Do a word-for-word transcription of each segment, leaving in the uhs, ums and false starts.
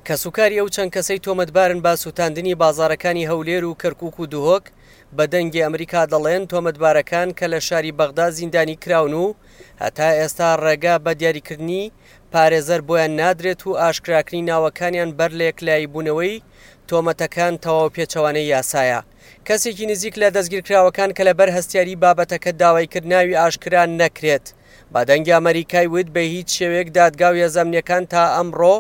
کەسوکاری ئەو چەند کەسەی تۆمەتبارن بە سووتاندنی بازاڕەکانی هەولێر و کەرکوک و دهۆک بە دەنگی ئەمریکا دەڵێن تۆمەتبارەکان کە لە شاری بەغدا زیندانی کراون و هەتا ئێستا ڕێگا بە دیاریکردنی پارێزەر بۆیان نادرێت و ئاشکراکردنی ناوەکانیان بەر لە یەکلاییبوونەوەی تۆمەتەکان تەواو پێچەوانەی یاسایە. کەسێکی نزیک لە دەستگیرکراوەکان کە لەبەر هەستیاری بابەتەکە داوای کرد ناوی ئاشکرا نەکرێت بە دەنگی ئەمریکای وت بە هیچ شێوەیەک دادگا و هێزە ئەمنییەکان تا ئەمڕۆ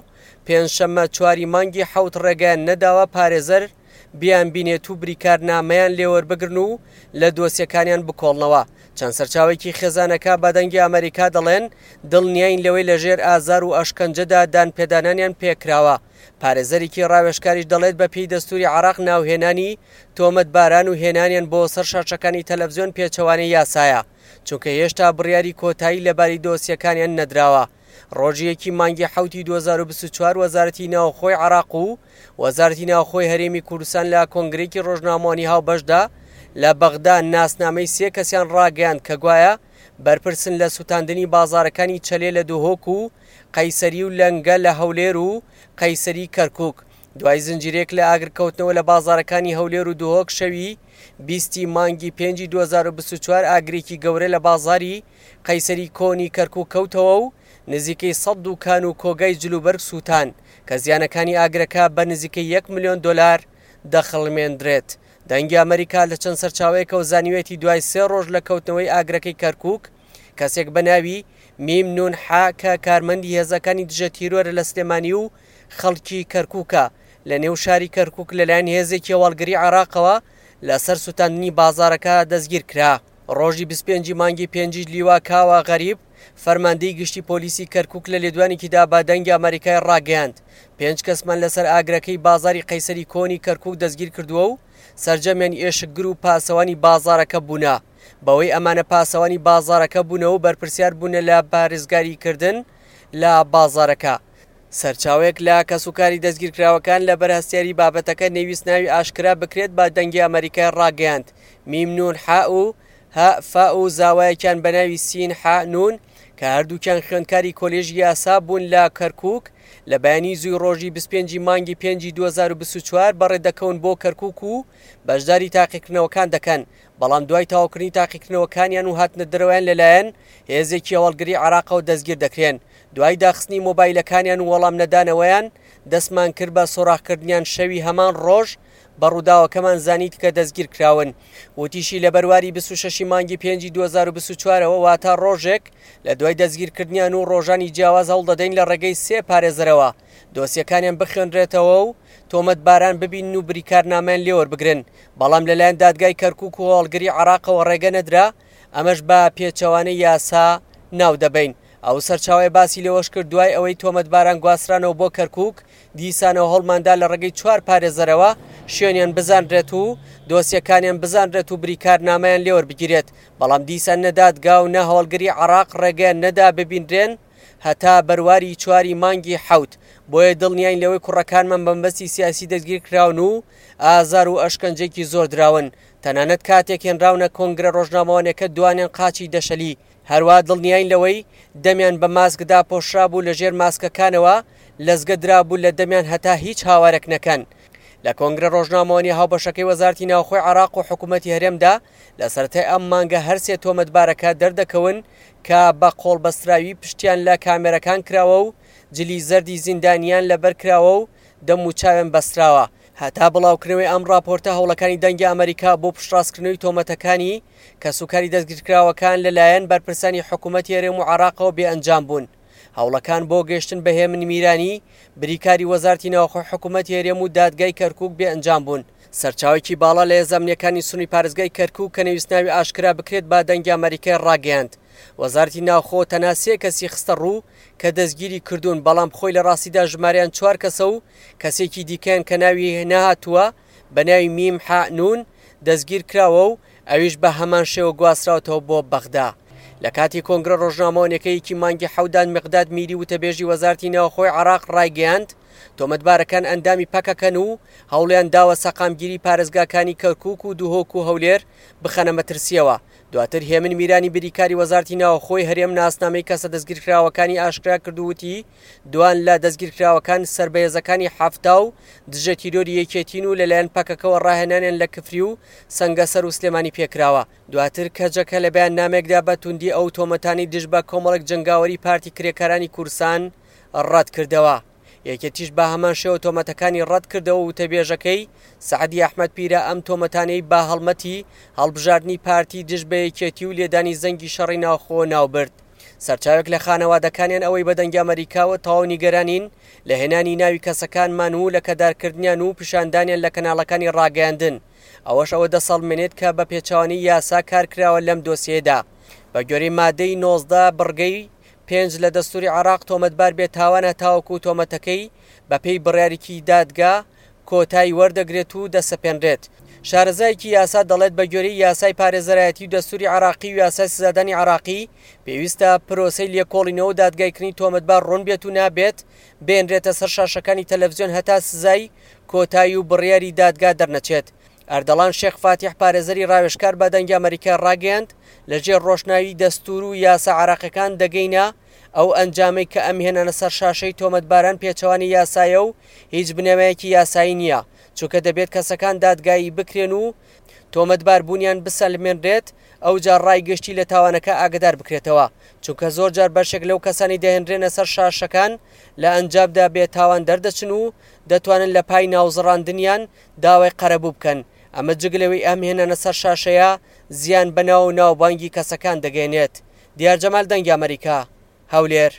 پێنجشەممە چواری مانگی حەوت ڕێگەیان نەداوە پارێزەر بیان بینێت و بریکارنامەیان لێوەربگرن و لە دۆسیەکانیان بکۆڵنەوە. چەند سەرچاوێکی خێزانەکە بە دەنگی ئەمریکا دەڵێن دڵنیاین لەوەی لەژێر ئازار و ئەشکەنجەدا دانپێدانانیان پێکراوە. پارێزەرێکی ڕاوێژکاریش دەڵێت بە پێی دەستوری عێراق ناوهێنانی تۆمەتباران و هێنانیان بۆ سەر شاشەکانی تەلەڤزیۆن پێچەوانەی یاسایە، چونکە هێشتا بڕیاری کۆتایی لەباری دۆسیەکانیان نەدراوە. ڕۆژی یەکی مانگی حەوتی دوو هەزار و بیست و چوار وەزارەتی ناوخۆی عێراق و وەزارەتی ناوخۆی هەرێمی کوردستان لە کۆنگرێکی ڕۆژنامەوانی هاوبەشدا لە بەغدا ناسنامەی سێ کەسیان ڕاگەیاند کە گوایە بەرپرسن لە سووتاندنی بازارەکانی چەلێ لە دهۆک و قەیسەری و لەنگە لە هەولێر و قەیسەری کەرکوک. دوای زنجیرێک لە ئاگرکەوتنەوە لە بازارەکانی هەولێر و دهۆک شەوی بیستی مانگی پێنجی دوو هەزار و بیست و چوار ئاگرێکی گەورە لە بازاری قەیسەری کۆنی کەرکوک کەوتەوە و نزیکەی سەد دوکان و کۆگای جلوبەرگ سووتان کە زیانەکانی ئاگرەکە بە نزیکەی یەک ملیۆن دۆلار دەخڵمێندرێت. دەنگی ئەمریکا لە چەند سەرچاوەیەکەوە زانیوێتی دوای سێ ڕۆژ لە کەوتنەوەی ئاگرەکەی کەرکوک کەسێک بە ناوی میم نون حا کە کارمەندی هێزەکانی دژە تیرۆرە لە سلێمانی و خەڵکی کەرکوکە لە نێو شاری کەرکوک لەلایەن هێزێکی هەواڵگری عێراقەوە لەسەر سووتاندنی بازارەکە دەستگیر کرا. ڕۆژی بیست و پێنجی مانگی پێنجی لیوا کاوە غەریب فەرماندەی گشتی پۆلیسی کەرکوک لە لێدوانێکیدا بە دەنگی ئەمریکای ڕاگەیاند پێنج کەسمان لەسەر ئاگرەکەی بازاری قەیسەری کۆنی کەرکوک دەستگیر کردووە و سەرجەمیان ئێشکگر و پاسەوانی بازارەکە بوونە. بەوەی ئەمانە پاسەوانی بازارەکە بوونە و بەرپرسیار بوونە لە پارێزگاریکردن لە بازارەکە. سەرچاوەیەک لە کەسوکاری دەستگیرکراوەکان لە بەرهەستیاری بابەتەکە نەویست ناوی ئاشکرا بکرێت بە دەنگی ئەمریکای ڕاگەیاند میم نون حا و ها فا و زاوایەکیان بە ناوی سین حا نون کە هەردووکیان خوێندکاری کۆلێژی یاسا بوون لە کەرکوک لە بەیانی زووی ڕۆژی بیست و پێنجی مانگی پێنجی دوو هەزار و بیست و چوار بەڕێ دەکەون بۆ کەرکوک و بەشداری تاقیکردنەوەکان دەکەن، بەڵام دوای تەواوکردنی تاقیکردنەوەکانیان و هاتنە دەرەوەیان لەلایەن هێزێکی هەواڵگری عێراقەوە دەستگیر دەکرێن. دوای داخستنی مۆبایلەکانیان و وەڵام نەدانەوەیان دەستمان کرد بە سۆراخکردنیان شەوی هەمان ڕۆژ بە ڕووداوەکەمان زانیت کە دەستگیر کراون. وتیشی لە بەرواری بیست و شەشی مانگی پێنجی دوو هەزار و بیست و چوارەوە واتە ڕۆژێک لە دوای دەستگیرکردنیان و ڕۆژانی جیاواز هەوڵدەدەین لە ڕێگەی سێ پارێزەرەوە دۆسیەکانیان بخوێنرێتەوە و تۆمەتباران ببین و بریکارنامەیان لێوەربگرن، بەڵام لەلایەن دادگای کەرکوک و هەواڵگری عێراقەوە ڕێگە نەدرا، ئەمەش بە پێچەوانەی یاسا ناو دەبەین. ئەو سەرچاوەیە باسی لەوەش کرد دوای ئەوەی تۆمەتباران گواسترانەوە بۆ کەرکوک دیسانەوە هەڵماندا لە ڕێگەی چوار پارێزەرەوە شوێنیان بزانرێت و دۆسیەکانیان بزانرێت و بریکارنامەیان لێوەربگیرێت، بەڵام دیسان نەدادگا و نە هەواڵگری عێراق ڕێگەیان نەدا ببینرێن هەتا بەرواری چواری مانگی حەوت. بۆیە دڵنیاین لەوەی کوڕەکانمان بەمبەستی سیاسی دەستگیر کراون و ئازار و ئەشکەنجێکی زۆر دراون، تەنانەت کاتێک هێنراونە کۆنگرە ڕۆژنامەوانەکە دوانیان قاچی دەشەلی. هەروە دڵنیاین لەوەی دەمیان بە ماسکدا پۆشرا بوو لە ژێر ماسکەکانەوە لەزگە درابوو لە دەمیان هەتا هیچ هاوارێک نەکەن. لە کۆنگرە ڕۆژنامەوانی هاوبەشەکەی وەزارەتی ناوخۆی عێراق و حکوومەتی هەرێمدا لە سەرەتای ئەم مانگە هەرسێ تۆمەتبارەکە دەردەکەون کە بە قۆڵبەستراوی پشتیان لە کامێرەکان کراوە و جلی زەردی زیندانیان لەبەر کراوە و دەم و چاویان بەستراوە. هەتا بڵاوکردنەوەی ئەم راپۆرتە هەوڵەکانی دەنگی ئەمریکا بۆ پشتڕاستکردنەوەی تۆمەتەکانی کەسوکاری دەستگیرکراوەکان لەلایەن بەرپرسانی حکوومەتی هەرێم و عێراقەوە بێئەنجام بوون. هەوڵەکان بۆ گەشتن بە هێمن میرانی بریکاری وەزارەتی ناوخۆی حکوومەتی هەرێم و دادگای کەرکوک بێئەنجام بوون. سەرچاوێکی باڵا لە هێزە ئەمنییەکانی سنووری پارێزگای کەرکوک کە نەویست ناوی ئاشکرا بکرێت بە دەنگی ئەمریکای ڕاگەیاند وەزارەتی ناوخۆ تەنها سێ کەسی خستە ڕوو کە دەستگیری کردوون، بەڵام خۆی لە ڕاستیدا ژمارەیان چوار کەسە و کەسێکی دیکەیان کە ناوی نەهاتووە بە ناوی میم حا نون دەستگیر کراوە و ئەویش بە هەمان شێوە گواستراوەتەوە بۆ بەغدا. لە کاتی کۆنگرە ڕۆژنامەوانیەکەیەکی مانگی حەودان مقداد میری وتەبێژی وەزارەتی ناوخۆی عێراق ڕایگەیاند تۆمەتبارەکان ئەندامی پەکەکەن و هەوڵیان داوە سەقامگیری پارێزگاکانی کەرکوک و دهۆک و هەولێر بخەنە مەترسیەوە. دواتر هێمن میرانی بریکاری وەزارەتی ناوخۆی هەرێم ناسنامەی کەسە دەستگیرکراوەکانی ئاشکرا کرد و وتی دوان لە دەستگیرکراوەکان سەر بە هێزەکانی حەفتا و دژە تیرۆری یەکێتین و لەلایەن پەکەکەوە ڕاهێنانیان لە کفری و سەنگەسەر و سلێمانی پێکراوە. دواتر کەجەکە لە بەیاننامەیەکدا بە توندی ئەو تۆمەتانی دژ بە کۆمەڵێک جەنگاوەری پارتی کرێکارانی کوردستان ڕەت کردەوە. یەکێتیش بە هەمان شێوە تۆمەتەکانی ڕەت کردەوە و وتەبێژەکەی سەعدی ئەحمەد پیرە ئەم تۆمەتانەی بە هەڵمەتی هەڵبژاردنی پارتی دژ بە یەکێتی و لێدانی زەنگی شەڕی ناوخۆ ناوبرد. سەرچاوێک لە خانەوادەکانیان ئەوەی بە دەنگی ئەمەریکاوە تەواو نیگەرانین لە هێنانی ناوی کەسەکانمان و لە کەدارکردنیان و پیشاندانیان لە کەناڵەکانی ڕاگەیاندن. ئەوەش ئەوە دەسەڵمێنێت کە بە پێچەوانەی یاسا کارکراوە لەم دۆسیەدا. بە گوێرەی مادەی نۆزدە بڕگەی پێنج لە دەستوری عێراق تۆمەتبار بێت تاوانە تاوەکو تۆمەتەکەی بەپێی بڕیارێکی دادگا کۆتایی وەردەگرێت و دەسەپێنرێت. شارەزایەکی یاسا دەڵێت بە گوێرەی یاسای پارێزەرایەتی و دەستوری عێراقی و یاسای سزادانی عێراقی پێویستە پرۆسەی لێکۆڵینەوە و دادگایکردنی تۆمەتبار ڕوون بێت و نابێت بێنرێتە سەر شاشەکانی تەلەڤزیۆن هەتا سزای کۆتایی و بڕیاری دادگا دەرنەچێت. ئەردەڵان شێخ فاتیح پارێزەری ڕاوێژکار بە دەنگی ئەمەریکا ڕاگەیاند لەژێر ڕۆشناوی دەستور و یاسا عێراقیەکان دەگەینە ئەو ئەنجامەی کە ئەم هێنانە سەر شاشەی تۆمەتباران پێچەوانی یاسایە و هیچ بنەمایەکی یاسایی نییە، چونکە دەبێت کەسەکان دادگایی بکرێن و تۆمەتبار بوونیان بسەلمێنرێت، ئەوجار ڕای گشتی لە تاوانەکە ئاگدار بکرێتەوە، چونکە زۆر جار بەشێک لەو کەسانی دەهێنرێنە سەر شاشەکان لە ئەنجامدا بێتاوان دەردەچن و دەتوانن لە پای ناوزڕاندنیان داوای قەرەبوو بکەن. ئەمە جگە لەوەی ئەم هێنانە سەر شاشەیە زیان بە ناو و ناوبانگی کەسەکان دەگەیەنێت. دیار جەمال، دەنگی ئەمەریکا، هەولێر.